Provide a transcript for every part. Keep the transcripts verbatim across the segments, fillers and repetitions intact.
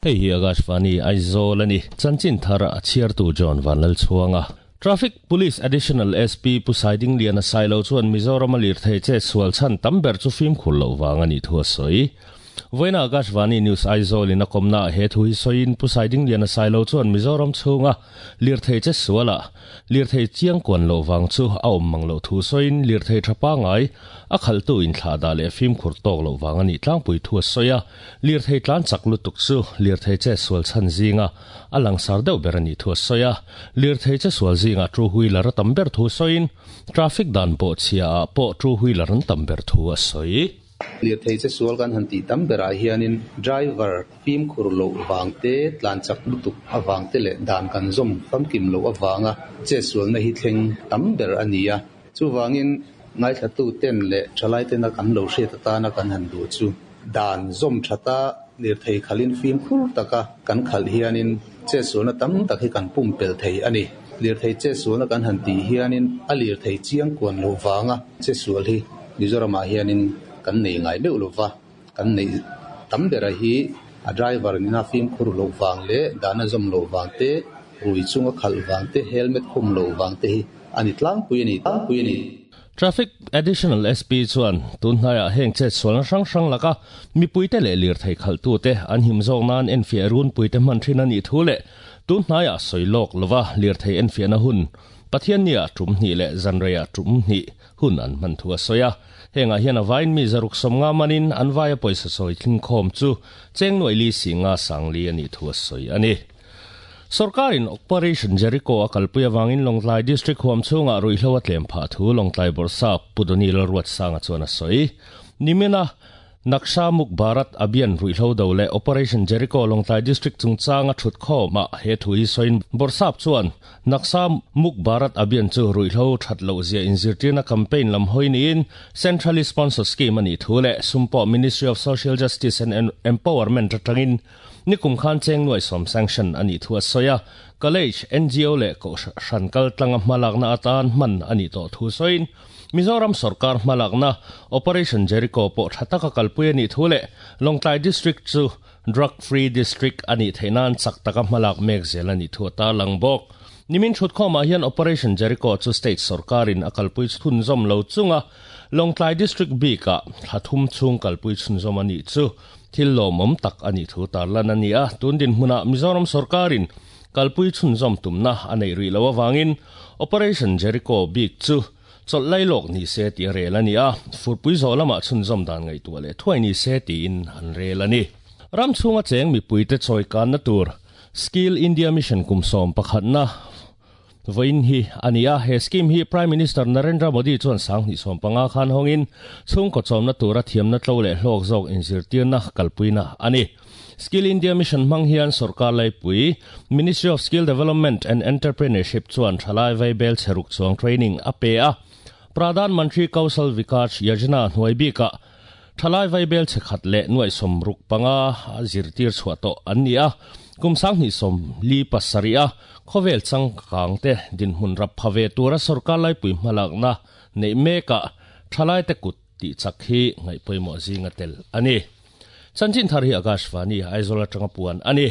Hei hi Akashvani Aizawl ani chanchin thar a chhiartu John Vanlalchhuanga Traffic Police Additional S P Pu Saidingliana Sailo chuan Mizoram a lirthei che sual chhan tam ber chu fimkhur loh vang ani thu a sawi. Vawiina Akashvani News Aizawl in a kawmna ah he thu hi sawiin Pu Saidingliana Sailo chuan Mizoram chhunga lirthei che suala lirthei chiang kuan loh vang chu a awm mang loh thu sawiin lirthei tha pangai a khalhtu inthlah dah leh fimkhur tawk loh vang a nih tlangpui thu a sawi a, lirthei tlan chak lutuk chu lirthei che sual chhan zinga a langsar deuh ber a nih thu a sawi a, lirthei che sual zinga two wheeler a tam ber thu sawiin traffic dan pawh chhia ah pawh two wheeler an tam ber thu a sawi. Lirthei che sual kan han tih tam berah hianin driver fimkhur loh vang te, tlan chak lutuk avang te leh dan kan zawm famkim loh avanga che sualna hi thleng tam ber a ni a. Chuvangin ngaithlatu ten leh thalai tena kan lo hriat atana kan han duh chu dan zawm thata lirthei khalin fimkhur taka kan khalh hianin che sualna tam tak hi kan pumpelh thei a ni. Lirthei che sualna kan han tih hianin a lirthei chiang kuan loh vanga che sual hi Mizoramah hianin kan nei ngai meuh lova, kan neih tam bera hi a driver nena fimkhur loh vang leh dana zawm loh vang te, rui chunga khalh vang te, helmet khum loh vang te hi a ni tlangpui a ni tlangpui a ni. Traffic Additional S P chuan tunhnaiah heng chet sualna hrang hrang laka mipuite leh lirthei khalhtute an him zawk nan enfiah runpuite hman thin a nih thu leh tunhnaiah sawi lawk lova lirthei enfiahna hun Pathiannia tum hnih leh zanreiah tum hnih hun an hman thu a sawi a. Hengah hian a vain mi zaruk sawmnga manin an vaia pawisa sawi thlingkhawm chu cheng nuaih li singa sangli a nih thu a sawi a ni. Sorkarin Operation Jericho a kalpui avangin Lawngtlai District huam chhungah ruihhlo a tlem phah thu Lawngtlai Bawrhsap Pu Donny Lalruatsanga chuan a sawi. Nimina Naksha Muk Bharat Abhiyan ruihhlo do leh Operation Jericho Lawngtlai District chungchanga thut khawmah he thu hi sawiin Bawrhsap chuan Naksha Muk Bharat Abhiyan chu ruihhlo that loh zia inzirtirna campaign lam hawi niin centrally sponsored scheme a nih thu leh sumpawh Ministry of Social Justice and Empowerment atangin nikum khan cheng nuai sawm sanction a nih thu a sawi a, college, N G O leh kohhran kal tlanga hmalakna atan hman a nih tawh thu sawiin Mizoram sarkar hmalakna Operation Jericho pawh tha taka kalpui a nih thu leh Lawngtlai District chu drug free district a nih theih nan chak taka hmalak mek zel a nih thu a tarlang bawk. Nimin thut khawmah hian Operation Jericho chu state sarkarin a kalpui chhunzawm lo chunga Lawngtlai District bikah thla thum chhung kalpui chhunzawm a nih chu thil lawmawm tak a nih thu tarlan a ni a, tun dinhmunah Mizoram sarkarin kalpui chhunzawm tumna a nei rih lo awangin Operation Jericho bik chu chawlh lailawk ni se tih a rel a ni a, furpui zawh lamah chhunzawm dan ngaihtuah leh thuai ni se tiin an rel a ni. Ram chhunga cheng mipuite chawi kanna tur Skill India Mission kum sawm pakhatna vawiin hi a ni a, he scheme hi Prime Minister Narendra Modi chuan sanghnih sawm panga khan hawngin chhungkaw chawmna tura thiamna tlo leh hlawk zawk inzirtirna kalpuina a ni. Skill India Mission hmang hian sarkar laipui Ministry of Skill Development and Entrepreneurship chuan thalai vaibel cheruk chuang training a pe a, Pradhan Mantri Kaushal Vikas Yojana hnuai bikah thalai vaibel chekhat leh nuai sawmruk panga a zirtir chhuah tawh an ni a, kum sanghnih sawm li pasarih a khawvel changkang te dinhmun rap pha ve tura sarkar laipui hmalakna neih mekah thalai te kut tih chak hi ngaih pawimawh zinga tel a ni. Chanchin thar hi Akashvani Aizawl atanga puan a ni.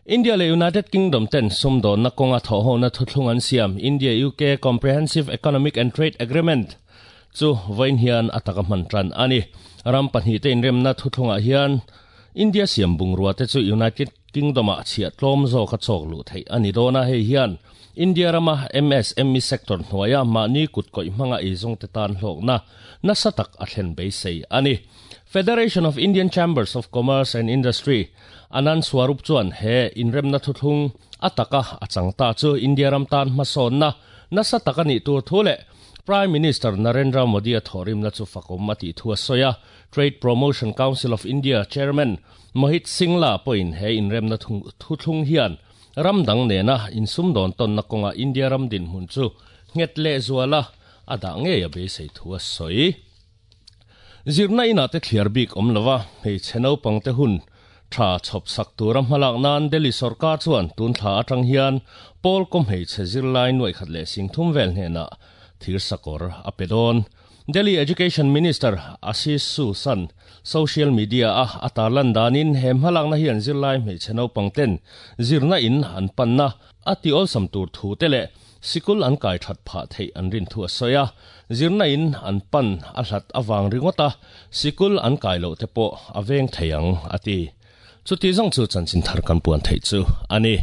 India leh United Kingdom ten sumdawnna kawnga thawhhona thuthlung an siam India U K Comprehensive Economic and Trade Agreement chu vawiin hian a taka hman tan a ni. Ram pahnih te inremna thuthlungah hian India siam bungrua te chu United Kingdom ah chhiah tlawm zawk a chawk luh theih a ni dawn a, hei hian India rama M S M E sector hnuaia mahni kut kawih hmanga eizawng te tan hlawkna nasa tak a thlen beisei a ni. Federation of Indian Chambers of Commerce and Industry Anand Swarup chuan he inremna thuthlung a taka a changta chu India ram tan hmasawnna nasa tak a nih tur thu leh Prime Minister Narendra Modi a thawhrimna chu fakawm a tih thu a sawi a. Trade Promotion Council of India Chairman Mohit Singla pawhin he inremna thuthlung hian ram dang nena insumdawn tawnna kawnga India ram dinhmun chu nghet leh zuala a dah ngei a beisei thu a sawi. Zirna inah te thliar bik awm lova hmeichhe naupang te hun tha chhawp sak tura hmalak nan Delhi sarkar chuan tun thla atang hian pawl kaw hmeichhe zirlai nuaih khat leh sing thum vel hnenah thir sakawr a pe dawn. Delhi Education Minister Ashish Susan social media a atarlan danin hem halak na hian zirlai hmeichhe naupang ten zirna in an panna ati awlsam tur thu te leh sikul an kai that pha thei an rin thu a soya zirna in an pan a hlat awang ringota sikul an kai lo te pawh a veng theiang ati chuti zong chu chanchin thar kan puan thei chu ani.